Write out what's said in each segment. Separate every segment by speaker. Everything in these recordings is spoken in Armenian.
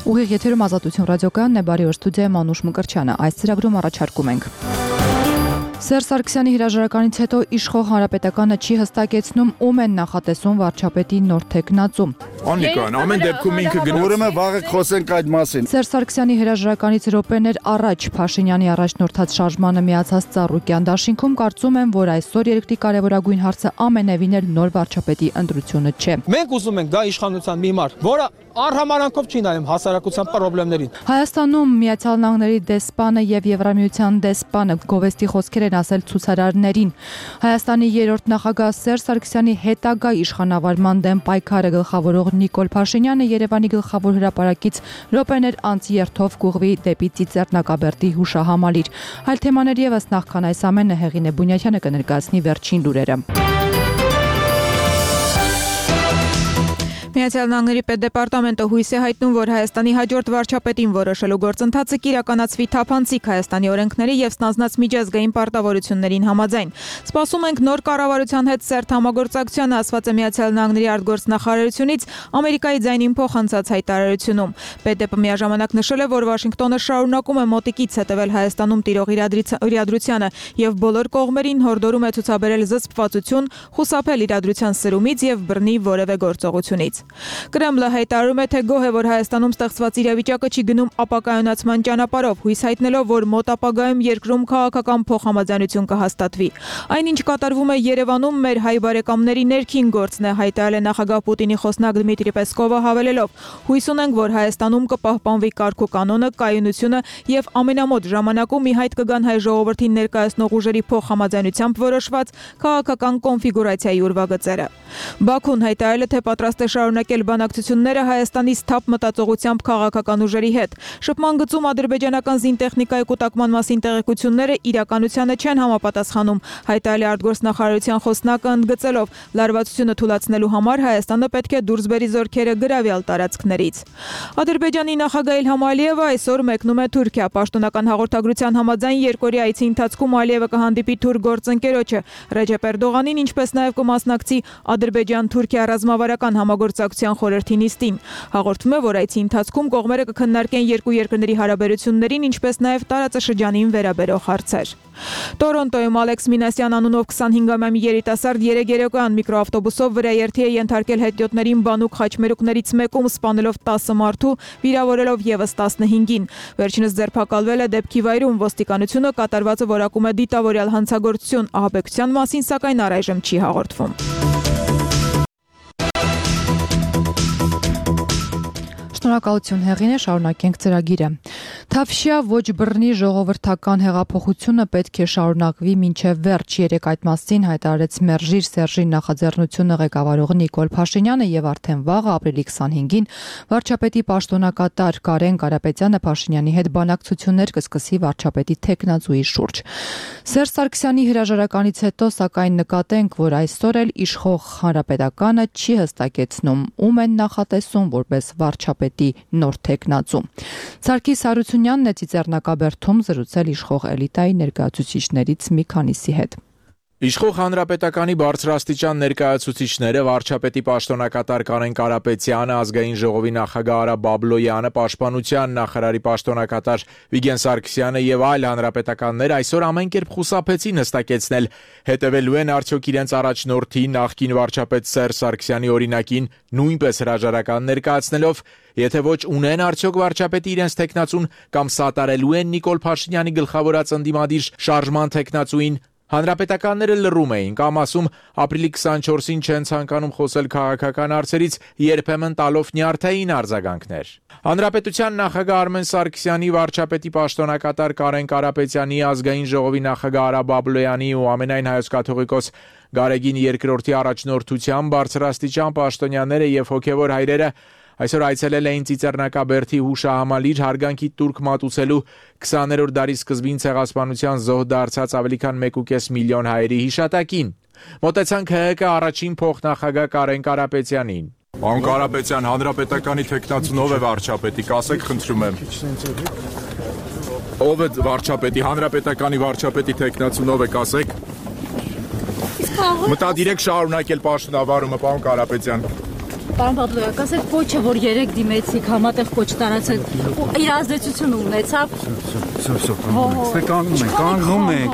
Speaker 1: Ուղիղ եթերում Ազատություն ռադիոկայանն է, բարի օր, ստուդիայում Անուշ Մկրտչյանը։ Այս ծրագրում առաջարկում ենք. Սերժ Սարգսյանի հրաժարականից հետո իշխող հանրապետականը չի հստակեցնում ում են նախատեսում վարչապետի նոր թեկնածու։
Speaker 2: Աննիկան, ամեն դեպքում ինքը
Speaker 3: Ուրեմն վաղը խոսենք այդ մասին։
Speaker 1: Սերժ Սարգսյանի հրաժարականից րոպեներ առաջ Փաշինյանի առաջնորդած շարժմանը միացած Ծառուկյան դաշինքում կարծում են, որ այսօր երկրի կարևորագույն հարցը ամենևին էլ նոր վարչապետի ընտրությունը չէ։
Speaker 4: Մենք ուզում ենք գա իշխանության մի մարդ, որը առհամարանքով չի նայում հասարակության խնդիրներին։
Speaker 1: Հայաստանում Միացյալ Նահանգների դեսպանը եւ Եվրամիության դեսպանը գովեստի խոսքեր են ասել ցուցարարներին։ Հայաստանի երրորդ նախագահ Սերժ Սարգսյանի հետագա իշխանավարման դեմ պայքարը գլխավորող Նիկոլ Փաշինյանը Երևանի գլխավոր հրապարակից րոպեներ անց երթով կուղվի դեպի Ծիծեռնակաբերդի հուշահամալիր։ Այլ թեմաներ եւս նախքան այս ամենը Հեղինե Բունյաթյանը կներկայացնի վերջին լուրերը։
Speaker 5: Միացյալ Նահանգների պետդեպարտամենտը հույս է հայտնում, որ Հայաստանի հաջորդ վարչապետին որոշելու գործընթացը կիրականացվի թափանցիկ Հայաստանի օրենքների եւ ստանձնած միջազգային պարտավորություններին համաձայն։ Սպասում ենք նոր կառավարության հետ սերտ համագործակցության, ասված է Միացյալ Նահանգների արտգործնախարարությունից Ամերիկայի ձայնին փոխանցած հայտարարությունում։ Պետդեպը միաժամանակ նշել է, որ Վաշինգտոնը շարունակում է մոտիկից հետևել Հայաստանում տիրող իրադրությանը եւ բոլոր կողմերին հորդորում է ցուցաբերել զսպվածություն, խուսափել իրադրության սրումից եւ բռնի որևէ գործողությունից։ Կրեմլը հայտարարում է, թե գոհ է, որ Հայաստանում ստեղծված իրավիճակը չի գնում ապակայունացման ճանապարհով, հույս հայտնելով, որ մոտ ապագայում երկրում քաղաքական փոխհամաձայնություն կհաստատվի։ Այնինչ կատարվում է Երևանում, մեր հայ բարեկամների ներքին գործն է, հայտարարել է նախագահ Պուտինի խոսնակ Դմիտրի Պեսկովը հավելելով. հույս ունենք, որ Հայաստանում կպահպանվի կարգ ու կանոնը, կայունությունը եւ ամենամոտ ժամանակում ի հայտ կգան հայ ժողովրդին ներկայացնող ուժերի փոխհամաձայնությամբ որոշված քաղաքական կոնֆիգուրացիայի ուրվագծերը։ Բաքուն հայտարարել է, թե պատրաստ է շարունակել բանակցությունները Հայաստանի սթափ մտածողությամբ քաղաքական ուժերի հետ։ Շփման գծում ադրբեջանական զինտեխնիկայի կուտակման մասին տեղեկությունները իրականությանը չեն համապատասխանում, հայտարարել է արտգործնախարարության խոսնակը ընդգծելով. լարվածությունը թույլատնելու համար Հայաստանը պետք է դուրս բերի զորքերը գրավյալ տարածքներից։ Ադրբեջանի նախագահ Իլհամ Ալիևը այսօր մեկնում է Թուրքիա։ Պաշտոնական հաղորդագրության համաձայն երկօրյա այցի ընթացքում Ալիևը կհանդիպի թուրք գործընկերոջը Ռեջեփ Էրդողանին, ինչպես նաև կմասնակցի Ադրբեջան-Թուրքիա ռազմավարական համագործակցության խորհրդի նիստին։ Հաղորդվում է, որ այցի ընթացքում կողմերը կքննարկեն երկու երկրների հարաբերություններին, ինչպես նաև տարածաշրջանին վերաբերող հարցեր։ Տորոնտոյում Ալեքս Մինասյան անունով 25-ամյա մի երիտասարդ երեգերեկոյան միկրոավտոբուսով վրաերթի է ենթարկել հետիոտներին բանուկ խաչմերուկներից մեկում, սպանելով 10 մարդու, վիրավորելով եւս 15-ին։ Վերջինս ձերբակալվել է դեպքի վայրում, ոստիկանությունը կատարվածը որակում է դիտավորյալ հանցագործություն, ահաբեկության մասին սակայն առայժմ չի հաղորդվում։
Speaker 1: Շնորհակալություն Հեղինե, շարունակենք ծրագիրը։ Թավշյա ոչ բռնի ժողովրդական հեղափոխությունը պետք է շարունակվի մինչև վերջ, երեկ այդ մասին հայտարարեց Մերժիր Սերժի նախաձեռնությունը ղեկավարող Նիկոլ Փաշինյանը եւ արդեն վաղը ապրիլի 25-ին վարչապետի պաշտոնակատար Կարեն Կարապետյանը Փաշինյանի հետ բանակցություններ կսկսի վարչապետի թեկնածուի շուրջ։ Սերժ Սարգսյանի հրաժարականից հետո սակայն նկատենք, որ այսօր էլ իշխող հանրապետականը չի հստակեցնում ում են նախատեսում որպես վարչապետի նոր թեկնածու։ Սարգիս Հարությունյանն է Ծիծեռնակաբերդում զրուցել իշխող էլիտայի ներկայացուցիչներից մի քանիսի հետ։
Speaker 2: Իշխող հանրապետականի բարձրաստիճան ներկայացուցիչները վարչապետի պաշտոնակատար Կարեն Կարապետյանը, ազգային ժողովի նախագահ Արա Բաբլոյանը, պաշտպանության նախարարի պաշտոնակատար Վիգեն Սարգսյանը եւ այլ հանրապետականներ այսօր ամեն կերպ խուսափեցին հստակեցնել հետևելու են արդյոք իրենց առաջնորդի նախկին վարչապետ Սերժ Սարգսյանի օրինակին նույնպես հրաժարական ներկայացնելով, եթե ոչ ունեն արդյոք վարչապետի իրենց թեկնածուն կամ սատարելու են Նիկոլ Փաշինյանի գլխավորած ընդդիմադիր շարժման թեկնածուին։ Հանրապետականները լռում էին կամ ասում ապրիլի 24-ին չեն ցանկանում խոսել քաղաքական հարցերից, երբեմն տալով նյարդային արձագանքներ։ Հանրապետության նախագահ Արմեն Սարգսյանի, վարչապետի պաշտոնակատար Կարեն Կարապետյանի, ազգային ժողովի նախագահ Արա Բաբլոյանի ու ամենայն հայոց կաթողիկոս Գարեգին II առաջնորդությամբ բարձրաստիճան պաշտոնյաները եւ հոգեվոր հայրերը այսօր այցելել էին Ծիծեռնակաբերդի հուշահամալիր հարգանքի տուրք մատուցելու 20-րդ դարի սկզբին ցեղասպանության զոհ դարձած ավելի քան 1.5 միլիոն հայերի հիշատակին։ Մոտեցանք ՀՀԿ առաջին փոխնախագահ Կարեն Կարապետյանին։
Speaker 3: Պարոն Կարապետյան, հանրապետականի թեկնածուն ով է վարչապետի, կասեք խնդրում եմ։ Ով է վարչապետի, հանրապետականի վարչապետի թեկնածուն ով է, կասեք։ Մտադիր եք շարունակել պաշտոնավարումը, պարոն Կարապետյան։
Speaker 6: Պարոն Բաբլոյան, ասեք կոչը, որ երեք դիմեցիք, համատեղ կոչ տարածեք, իր ազդեցությունը ունեցավ։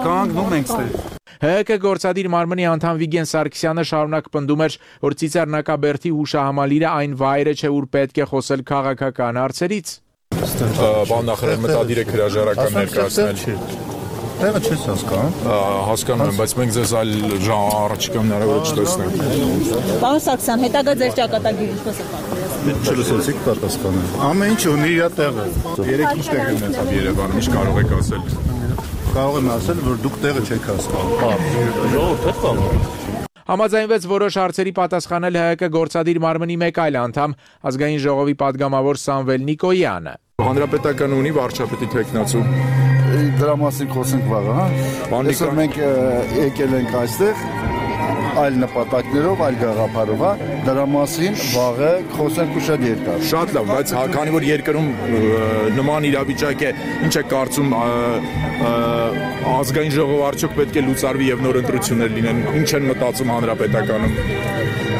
Speaker 3: Կանգնում ենք ստե։
Speaker 2: ՀՀԿ գործադիր մարմնի անդամ Վիգեն Սարգսյանը շարունակ պնդում էր, որ Ծիծեռնակաբերդի հուշահամալիրը այն վայրը չէ, ուր պետք է խոսել քաղաքական հարցերից։
Speaker 3: Բան նախարար մտադիր է հրաժարական ներկայացնել։
Speaker 7: Տեղը չես հասկանում։
Speaker 3: Հասկանում եմ, բայց մենք ձեզ այլ առաջիկայում հնարավոր չտեսնենք։
Speaker 6: Պարոն Սարգսյան, հետագա ձեր ճակատագիրը ինչպես է պատկերացնում։
Speaker 7: Չլսեցիք պատասխանը։ Ամեն ինչ ունի իր տեղը։
Speaker 3: Երեք ինչ տեղ ունեցավ Երևանում, ինչ կարող եք ասել։
Speaker 7: Կարող եմ ասել, որ դուք տեղը չեք հասկանում։
Speaker 2: Համաձայնվեց որոշ հարցերի պատասխանել ՀՀԿ գործադիր մարմնի մեկ այլ անդամ, ազգային ժողովի падգամավոր Սամվել Նիկոյանը։
Speaker 3: Հանրապետականը ունի վարչապետի թեկնածու։
Speaker 7: Դրա մասին խոսենք վաղը, հա։ Այսօր մենք եկել ենք այստեղ այլ նպատակներով, այլ գաղափարով, հա։ Դրա մասին վաղը խոսենք ու շատ երկար։
Speaker 3: Շատ լավ, բայց քանի որ երկրում նման իրավիճակ է, ինչ է կարծում ազգային ժողովը արդյոք պետք է լուծարվի եւ նոր ընտրություններ լինեն, ինչ են մտածում հանրապետականում։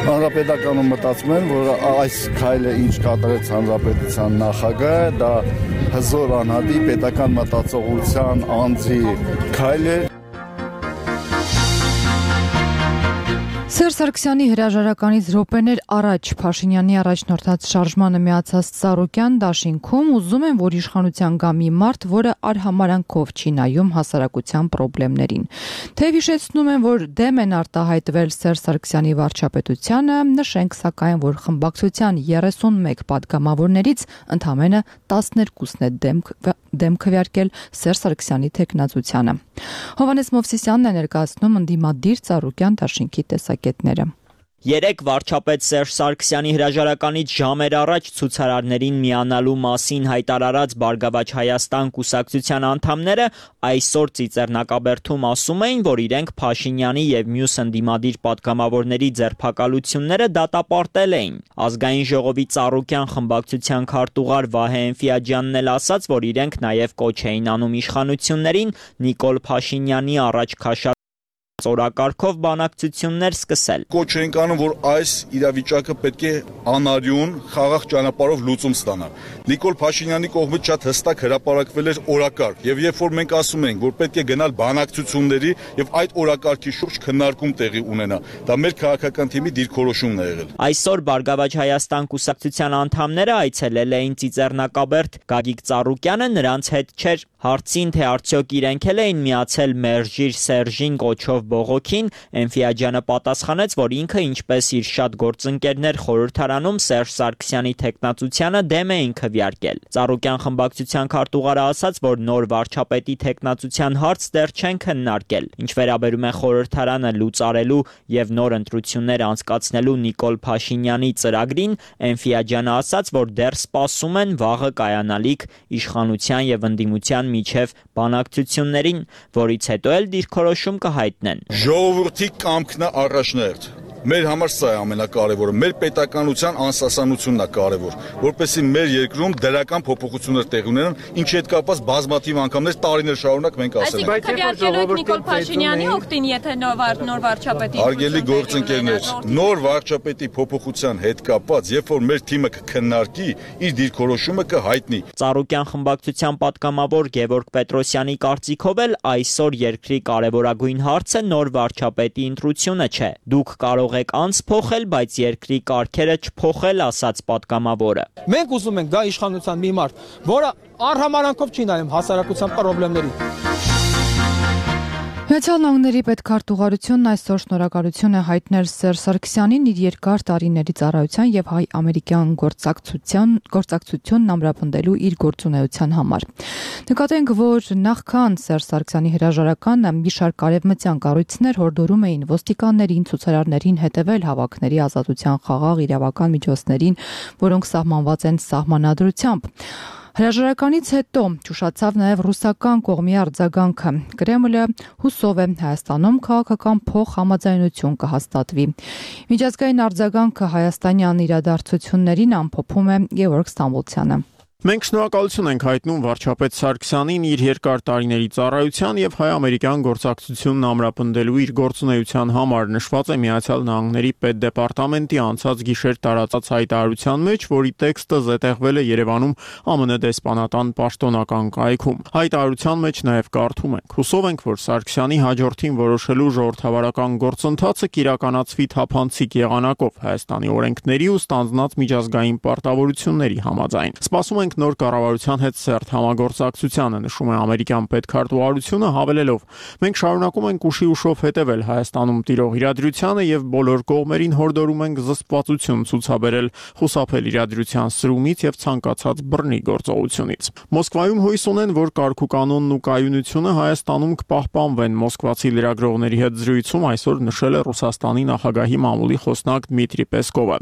Speaker 7: Հանրապետականում մտածում են, որ այս քայլը ինչ կատարեց հանրապետության նախագահը, դա հզոր անհատի պետական մտածողության անձի քայլ է։
Speaker 1: Սերժ Սարգսյանի հրաժարականից րոպեներ առաջ Փաշինյանի առաջնորդած շարժմանը միացած Ծառուկյան դաշինքում ուզում են, որ իշխանության գա մի մարդ, որը արհամարանքով չի նայում հասարակության խնդիրներին։ Թեև հիշեցնում են, որ դեմ են արտահայտվել Սերժ Սարգսյանի վարչապետությանը, նշենք սակայն, որ խմբակցության 31 падգամավորներից ընդամենը 12-ն է դեմ քվեարկել Սերժ Սարգսյանի թեկնածությանը։ Հովհաննես Մովսիսյանն է ներկայացնում ընդդիմադիր Ծառուկյան դաշինքի տեսակետները։
Speaker 8: Երեք վարչապետ Սերժ Սարգսյանի հրաժարականից ժամեր առաջ ցուցարարներին միանալու մասին հայտարարած Բարգավաճ Հայաստան կուսակցության անդամները այսօր Ծիծեռնակաբերդում ասում էին, որ իրենք Փաշինյանի եւ մյուս ընդդիմադիր падգամավորների ձերբակալությունները դատապարտել էին։ Ազգային ժողովի Ծառուկյան խմբակցության քարտուղար Վահե Էնֆիաջյանն էլ ասաց, որ իրենք նաեւ կոչ էին անում իշխանություններին Նիկոլ Փաշինյանի առաջ քաշած օրակարգով բանակցություններ սկսել։
Speaker 7: Կոչ ենք անում, որ այս իրավիճակը պետք է անարյուն խաղաղ ճանապարհով լուծում ստանա։ Նիկոլ Փաշինյանի կողմից շատ հստակ հրապարակվել էր օրակարգ, եւ երբ որ մենք ասում ենք, որ պետք է գնալ բանակցությունների եւ այդ օրակարգի շուրջ քննարկում տեղի ունենա, դա մեր քաղաքական թիմի դիրքորոշումն է եղել։
Speaker 8: Այսօր Բարգավաճ Հայաստան կուսակցության անդամները այցելել էին Ծիծեռնակաբերդ, Գագիկ Ծառուկյանը նրանց հետ չէր։ Հարցին, թե արդյոք իրենք էին միացել Մերժիր Սերժին կոչով բողոքին, Էնֆիաջյանը պատասխանեց, որ ինքը ինչպես իր շատ գործընկերներ խորհրդարանում Սերժ Սարգսյանի թեկնածությանը դեմ էին քվեարկել։ Ծառուկյան խմբակցության քարտուղարը ասաց, որ նոր վարչապետի թեկնածության հարց դեռ չեն քննարկել։ Ինչ վերաբերում է խորհրդարանը լուծարելու եւ նոր ընտրություններ անցկացնելու Նիկոլ Փաշինյանի ծրագրին, Էնֆիաջյանը ասաց, որ դեռ սպասում են վաղը կայանալիք իշխանության եւ ընդդիմության միջև բանակցություններին, որից հետո էլ դիրքորոշում կհայտնեն։
Speaker 7: Ժողովրդի կամքն է առաջնահերթ։ Մեր համար սա է ամենակարևորը, մեր պետականության անսասանությունն է կարևոր, որպեսզի մեր երկրում դրական փոփոխություններ տեղի ունենան, ինչի հետ կապված բազմաթիվ անգամներ տարիներ շարունակ մենք ասել ենք։
Speaker 6: Բայց քվեարկելու Նիկոլ Փաշինյանի օգտին, եթե նոր վարչապետի
Speaker 7: Հարգելի գործընկերներ, նոր վարչապետի փոփոխության հետ կապված, երբ որ մեր թիմը կքննարկի, իր դիրքորոշումը կհայտնի։
Speaker 8: Ծառուկյան խմբակցության պատգամավոր Գևորգ Պետրոսյանի կարծիքով էլ այսօր երկրի կարևորագույն հարցը նոր վարչապետի ընտրությունը չէ։ Դուք կարող եք անց փոխել, բայց երկրի կարգերը չփոխել, ասաց պատգամավորը։
Speaker 4: Մենք ուզում ենք գա իշխանության մի մարդ, որը արհամարանքով չի նայում հասարակության խնդիրներին։
Speaker 1: Միացյալ Նահանգների պետքարտուղարությունն այսօր շնորհակալություն է հայտնել Սերժ Սարգսյանին իր երկար տարիների ծառայության եւ հայ-ամերիկյան գործակցությունն ամրապնդելու իր գործունեության համար։ Նկատենք, որ նախքան Սերժ Սարգսյանի հրաժարականը մի շարք արևմտյան կառույցներ հորդորում էին ոստիկաններին, ցուցարարներին հետևել հավաքների ազատության խաղաղ իրավական միջոցներին, որոնք սահմանված են սահմանադրությամբ։ Հրաժարականից հետո ճուշացավ նաև ռուսական կողմի արձագանքը։ Կրեմլը հուսով է Հայաստանում քաղաքական փոխհամաձայնություն կհաստատվի։ Միջազգային արձագանքը հայաստանյան իրադարձություններին ամփոփում է Գևորգ Ստամբոլցյանը։
Speaker 9: Մենք շնորհակալություն ենք հայտնում վարչապետ Սարգսյանին իր երկար տարիների ծառայության եւ հայ-ամերիկյան գործակցությունն ամրապնդելու իր գործունեության համար, նշված է Միացյալ Նահանգների պետդեպարտամենտի անցած գիշեր տարածած հայտարարության մեջ, որի տեքստը զետեղվել է Երևանում ԱՄՆ դեսպանատան պաշտոնական կայքում։ Հայտարարության մեջ նաեւ կարդում ենք. «Հուսով ենք, որ Սարգսյանի հաջորդին որոշելու ժողովրդավարական գործընթացը կիրականացվի թափանցիկ եղանակով Հայաստանի օրենքների ու ստանձնած միջազգային պարտավորությունների համաձայն։ Սպասում ենք նոր կառավարության հետ սերտ համագործակցությանը», նշում է ամերիկյան պետքարտուղարությունը, հավելելով. «Մենք շարունակում ենք ուշի ուշով հետևել Հայաստանում տիրող իրադրությանը եւ բոլոր կողմերին հորդորում ենք զսպվածություն ցուցաբերել, խուսափել իրադրության սրումից եւ ցանկացած բռնի գործողությունից»։ Մոսկվայում հույս ունեն, որ կարգուկանոնն ու կայունությունը Հայաստանում կպահպանվեն։ Մոսկվացի լրագրողների հետ զրույցում այսօր նշել է Ռուսաստանի նախագահի մամուլի խոսնակ Դմիտրի Պեսկովը։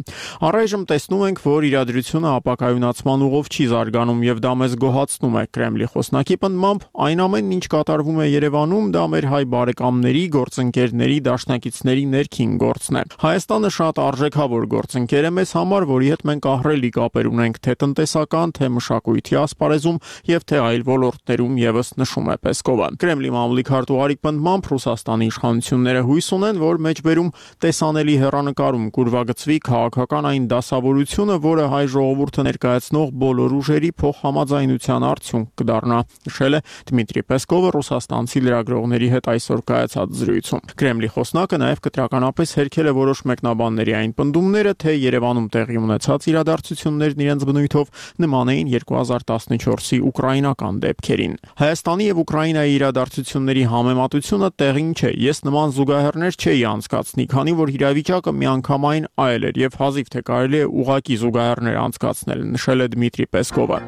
Speaker 9: «Առայժմ տեսնում ենք, որ իրադրությունը ապակայունացման ուղով չի զարգանում եւ դա մեզ գոհացնում է», Կրեմլի խոսնակի պնդմամբ, այն ամենն, ինչ կատարվում է Երևանում, դա մեր հայ բարեկամների, գործընկերների, դաշնակիցների ներքին գործն է։ Հայաստանը շատ արժեքավոր գործընկեր է մեզ համար, որի հետ մենք ահռելի կապեր ունենք թե տնտեսական, թե մշակույթի ասպարեզում եւ թե այլ ոլորտներում եւս, նշում է Պեսկովը։ Կրեմլի մամուլի քարտուղարի պնդմամբ Ռուսաստանի իշխանությունները հույս ունեն, որ մեջբերում տեսանելի հեռանկարում կուրվագծվի քաղաքական այն դասավորությունը, որը հայ ժողովուրդը ներկայացնող բոլոր ուժերի փոխհամաձայնության արդյունք կդառնա, նշել է Դմիտրի Պեսկովը ռուսաստանցի լրագրողների հետ այսօր կայացած զրույցում։ Կրեմլի խոսնակը նաև կտրականապես հերքել է որոշ մեկնաբանների այն պնդումները, թե Երևանում տեղի ունեցած իրադարձություններն իրենց բնույթով նման էին 2014-ի ուկրաինական դեպքերին։ Հայաստանի եւ Ուկրաինայի իրադարձությունների համեմատությունը տեղին չէ։ Ես նման զուգահեռներ չէի անցկացնի, քանի որ իրավիճակը միանգամայն այլ էր եւ հազիվ թե կարելի է ուղղակի զուգահեռներ անցկացնել, նշել է Դմիտրի Պեսկովը։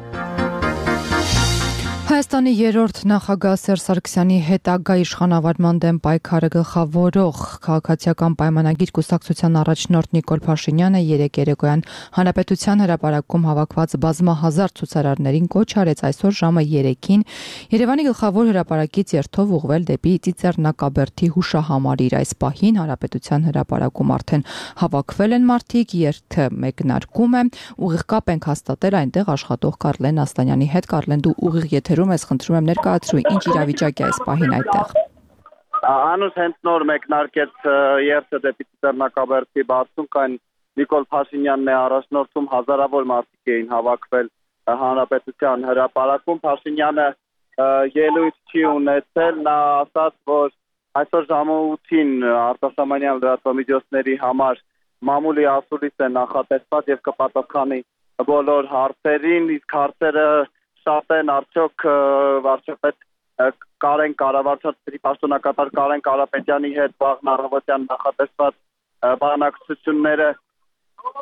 Speaker 1: Հայաստանի երրորդ նախագահ Սերժ Սարգսյանի հետագա իշխանավարման դեմ պայքարը գլխավորող քաղաքացիական պայմանագիր կուսակցության առաջնորդ Նիկոլ Փաշինյանը երեկ երեկոյան Հանրապետության հրապարակում հավաքված բազմահազար ցուցարարներին կոչ արեց այսօր ժամը 3-ին Երևանի գլխավոր հրապարակից երթով ուղղվել դեպի Ծիծեռնակաբերդի հուշահամալիր։ Այս պահին Հանրապետության հրապարակում արդեն հավաքվել են մարդիկ, երթը մեկնարկում է, ուղիղ կապ ենք հաստատել այնտեղ աշխատող Կարլեն Ասլանյանի հետ։ Կարլեն, դու ուղիղ եթերում ես, խնդրում եմ ներկայացրու, ինչ իրավիճակ է այս պահին այդտեղ։
Speaker 10: Անուս հենց նոր մեկնարկեց երթը դեպի Ծիծեռնակաբերդի բացում, այն Նիկոլ Փաշինյանն է առաջնորդում, հազարավոր մարդիկ էին հավաքվել Հանրապետության հրապարակում։ Փաշինյանը ելույթ չի ունեցել, նա ասաց, որ այսօր ժամը 8-ին արտասահմանյան լրատվամիջոցների համար մամուլի ասուլիս է նախատեսված եւ կպատասխանի բոլոր հարցերին, իսկ հարցերը շատ են, արդյոք վարչապետ պաշտոնակատար Կարեն Կարապետյանի հետ վաղն առավոտյան նախատեսված բանակցությունները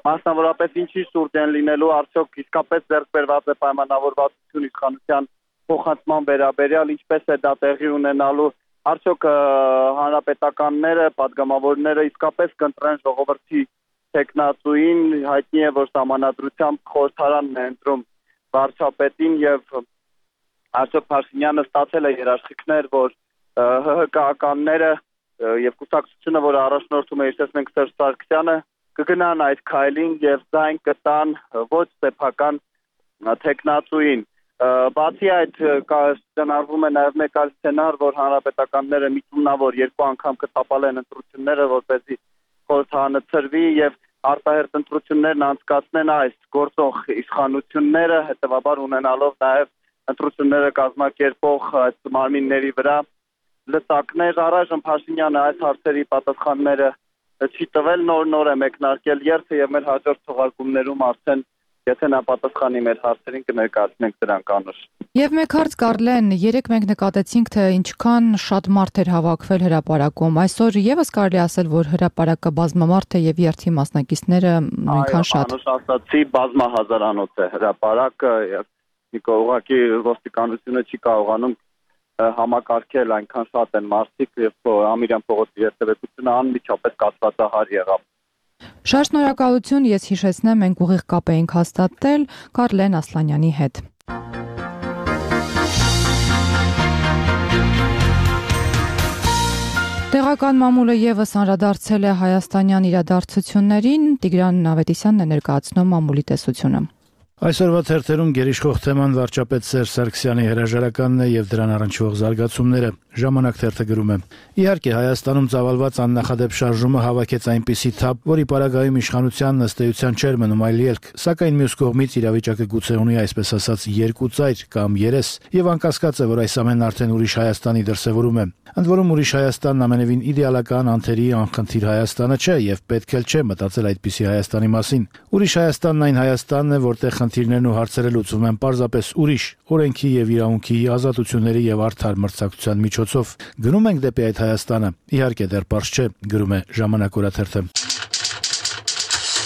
Speaker 10: մասնավորապես ինչի շուրջ են լինելու, արդյոք իսկապես ձեռք բերված է պայմանավորվածություն իշխանության փոխանցման վերաբերյալ, ինչպես է դա տեղի ունենալու, արդյոք հանրապետականները, падգամավորները իսկապես կընտրեն ժողովրդի տեխնացուին, հայտնի է, որ սահմանադրությամբ խորհրդարանն է ընտրում վարչապետին եւ արդյոք Փաշինյանը ստացել է երաշխիքներ, որ ՀՀԿ-ականները եւ կուսակցությունը, որը առաջնորդում է իշխեցնենք Սերժ Սարգսյանը, կգնան այդ քայլին եւ ձայն կտան ոչ սեփական տեխնացուին։ Բացի այդ կնարվում է նաեւ մեկ այլ սցենար, որ հանրապետականները միտումնավոր երկու անգամ կտապալեն ընտրությունները, որպեսզի խորհրդարանը ծրվի եւ արտահերտ ընտրություններն անցկացնեն այս գործող իշխանությունները, հետեւաբար ունենալով նաեւ ընտրությունները կազմակերպող այս մարմինների վրա լծակներ։ Առայժմ Փաշինյանը այս հարցերի պատասխանները չի տվել, նոր է մեկնարկել երթը եւ մեր հաջորդ թողարկումներում արդեն եթե նա պատասխանի մեր հարցերին կներկայացնենք դրանք անուշ։
Speaker 1: Եվ մեկ հարց Կարլեն, երեք մենք նկատեցինք, թե ինչքան շատ մարդ էր հավաքվել հրապարակում։ Այսօր եւս կարելի ասել, որ հրապարակը բազմամարդ է եւ երթի մասնակիցները այնքան շատ։
Speaker 10: Անուշ ասացի, բազմահազարանոց է հրապարակը, ուղղակի ոստիկանությունը չի կարողանում համակարգել, այնքան շատ են մարդիկ եւ Ամիրյան փողոցի երթևեկությունը անմիջապես կացվածահար եղավ։
Speaker 1: Շատ շնորհակալություն, ես հիշեցնեմ, մենք ուղիղ կապ էինք հաստատել Կարլեն Ասլանյանի հետ։ Տեղական մամուլը եւս անդրադարձել է հայաստանյան իրադարձություններին, Տիգրան Ավետիսյանն է ներկայացնում մամուլի տեսությունը։
Speaker 11: Այսօրվա թերթերում գերիշխող թեման վարչապետ Սերժ Սարգսյանի հրաժարականն է եւ դրան առնչվող զարգացումները։ Ժամանակ թերթը գրում է. Իհարկե Հայաստանում ծավալված աննախադեպ շարժումը հավաքեց այնպիսի թափ, որի պարագայում իշխանությանն ըստ էության չէր մնում այլ ելք, սակայն մյուս կողմից իրավիճակը գուցե ունի այսպես ասած երկու ծայր կամ երես, եւ անկասկած է, որ այս ամենն արդեն ուրիշ Հայաստանի դրսևորում է։ Ընդ որում ուրիշ Հայաստանն ամենևին իդեալական, անթերի, անխնդիր Հայաստանը չէ եւ պետք էլ չէ մտածել այդպիսի Հայաստանի մասին։ Ուրիշ Հայաստանն այն Հայաստանն է, որտեղ խնդիրներն ու հարցերը լուծվում են պարզապես ուրիշ օրենքի եւ իրավունքի, ազատությունների եւ արդար մրցակցության միջոցով։ Գնում ենք դեպի այդ Հայաստանը։ Իհարկե դեռ պարզ չէ, գրում է Ժամանակ օրաթերթը։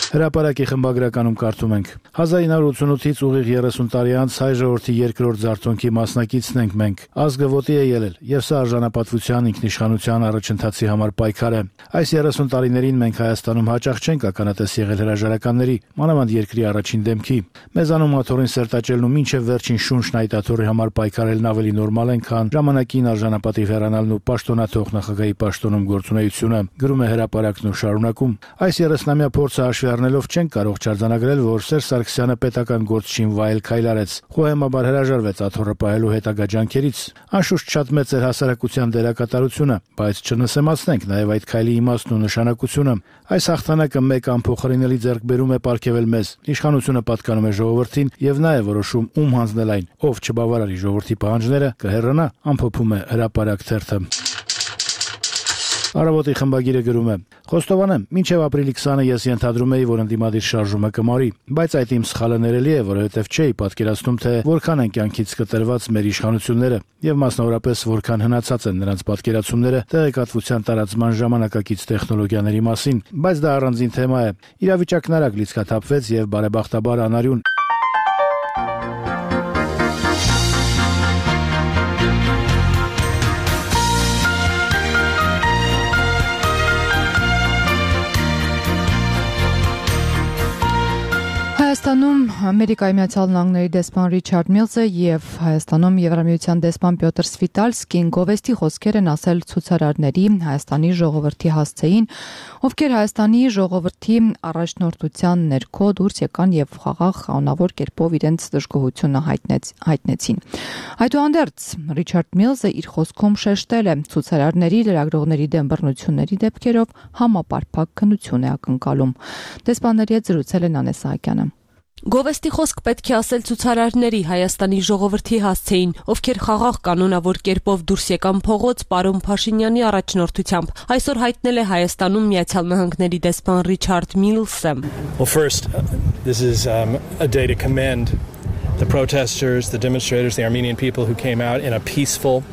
Speaker 11: Հրապարակի խմբագրականում կարդում ենք. 1988-ից ուղիղ 30 տարի անց հայ ժողովրդի երկրորդ զարթոնքի մասնակիցն ենք մենք։ Ազգը ոտի է ելել, եւ սա արժանապատվության, ինքնիշխանության առաջընթացի համար պայքար է։ Այս 30 տարիներին մենք Հայաստանում հաճախ չենք ականատես եղել հրաժարականների, մանավանդ երկրի առաջին դեմքի։ Մեզանում աթոռին սերտաճելն ու մինչև վերջին շունչն այդ աթոռի համար պայքարելն ավելի նորմալ են, քան ժամանակին արժանապատիվ հեռանալն ու պաշտոնաթող նախագահի պաշտոնում գործունեությունը, գրում է հրապարակն ու շարունակում։ Այս 30-ամյա փորձը հաշվի առնելով չենք կարող չարձանագրել, որ Սերժ Սարգսյանը պետական գործչին վայել քայլ արեց, խոհեմաբար հրաժարվեց աթոռը պահելու հետագա ջանքերից։ Անշուշտ շատ մեծ էր հասարակության դերակատարությունը, բայց չնսեմացնենք նաև այդ քայլի իմաստն ու նշանակությունը։ Այս հաղթանակը մեկ անփոխարինելի ձեռքբերում է պարգևել մեզ։ Իշխանությունը պատկանում է ժողովրդին եւ նա է որոշում ում հանձնել այն, ով չբավարարի ժողովրդի պահանջները կհեռանա, ամփոփում է հրապարակ թերթը։ Առավոտի խմբագիրը գրում է. Խոստովանեմ, մինչև ապրիլի 20-ը ես ենթադրում էի, որ ընդդիմադիր շարժումը կմարի, բայց այդ իմ սխալը ներելի է, որովհետև չէի պատկերացնում, թե որքան են կյանքից կտրված մեր իշխանությունները եւ մասնավորապես որքան հնացած են նրանց պատկերացումները տեղեկատվության տարածման ժամանակակից տեխնոլոգիաների մասին, բայց դա առանձին թեմա է։ Իրավիճակն արագ լիցքաթափվեց եւ բարեբախտաբար անարյուն
Speaker 1: Հայաստանում Ամերիկայի Միացյալ Նահանգների դեսպան Ռիչարդ Միլսը եւ Հայաստանում Եվրամիության դեսպան Պյոտր Սվիտալսկին գովեստի խոսքեր են ասել ցուցարարների Հայաստանի ժողովրդի հասցեին, ովքեր Հայաստանի ժողովրդի առաջնորդության ներքո դուրս եկան եւ խաղաղ կանոնավոր կերպով իրենց դժգոհությունը հայտնեցին։ Այդուհանդերձ Ռիչարդ Միլսը իր խոսքում շեշտել է ցուցարարների լրագրողների դեմ բռնությունների դեպքերով համապարփակ քննություն է ակնկալում։ Դեսպանների հետ զրուցել է Նանե Սահակյանը։
Speaker 12: Գովեստի խոսք պետք է ասել ցուցարարների Հայաստանի ժողովրդի հասցեին, ովքեր խաղաղ կանոնավոր կերպով դուրս եկան փողոց պարոն Փաշինյանի առաջնորդությամբ։ Այսօր հայտնել է Հայաստանում Միացյալ Նահանգների դեսպան Ռիչարդ Միլսը.
Speaker 13: Well, first, this is a day to commend the protesters, the demonstrators, the Armenian people who came out in a peaceful,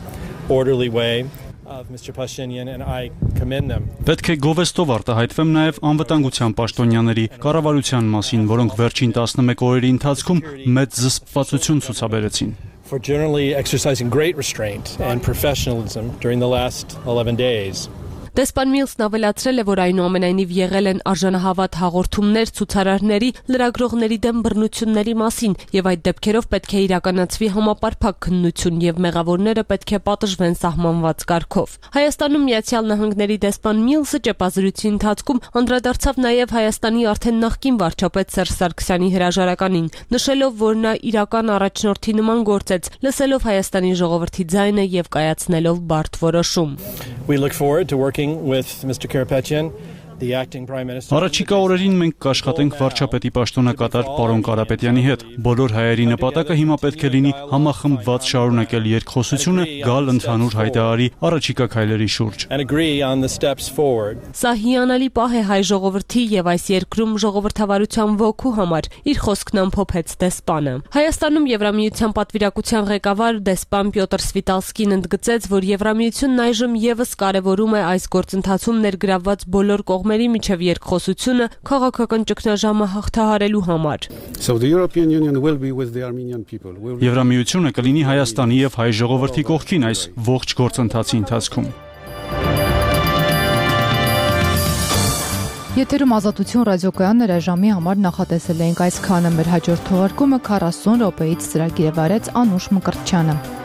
Speaker 13: orderly way. Mr. Pashinyan and I commend them.
Speaker 14: Պետք է գովեստով արտահայտվեմ նաև անվտանգության պաշտոնյաների կառավարության մասին, որոնք վերջին 11 օրերի ընթացքում մեծ զսպվածություն ցուցաբերեցին.
Speaker 13: For generally exercising great restraint and professionalism during the last 11 days.
Speaker 12: Դեսպան Միլսն ավելացրել է, որ այնուամենայնիվ եղել են արժանահավատ հաղորդումներ ցուցարարների, լրագրողների դեմ բռնությունների մասին, եւ այդ դեպքերով պետք է իրականացվի համապարփակ քննություն եւ մեղավորները պետք է պատժվեն սահմանված կարգով։ Հայաստանում Միացյալ Նահանգների դեսպան Միլսը ճեպազրույցի ընթացքում անդրադարձավ նաեւ Հայաստանի արդեն նախկին վարչապետ Սերժ Սարգսյանի հրաժարականին, նշելով, որ նա իրական առաջնորդի նման գործեց, լսելով Հայաստանի ժողովրդի ձայնը եւ կայացնելով բարդ որոշում։
Speaker 13: We look forward to working with Mr. Karapetyan, the acting prime minister.
Speaker 14: Առաջիկա օրերին մենք կաշխատենք վարչապետի պաշտոնակատար պարոն Կարապետյանի հետ։ Բոլոր հայերի նպատակը հիմա պետք է լինի համախմբված շարունակել երկխոսությունը, գալ ընդհանուր հայտարարի առաջիկա քայլերի շուրջ։
Speaker 13: And agree on the steps forward.
Speaker 12: Սա հիանալի պահ է հայ ժողովրդի եւ այս երկրում ժողովրդավարության ոգու համար, իր խոսքն ամփոփեց դեսպանը։ Հայաստանում Եվրամիության պատվիրակության ղեկավար դեսպան Պյոտր Սվիտալսկին ընդգծեց, որ Եվրամիությունն այժմ եւս կարևորում է այս գործընթացում ներգրավված բոլոր կողմերի միջև երկխոսությունը քաղաքական ճգնաժամը հաղթահարելու համար։
Speaker 15: So the European Union will be with the Armenian people.
Speaker 14: Եվրամիությունը կլինի Հայաստանի եւ հայ ժողովրդի կողքին այս ողջ գործընթացի ընթացքում։
Speaker 1: Եթերում Ազատություն ռադիոկայանն ժամի համար նախատեսել էինք այսքանը, մեր հաջորդ թողարկումը 40 րոպեից ծրագիրը վարեց Անուշ Մկրտչյանը։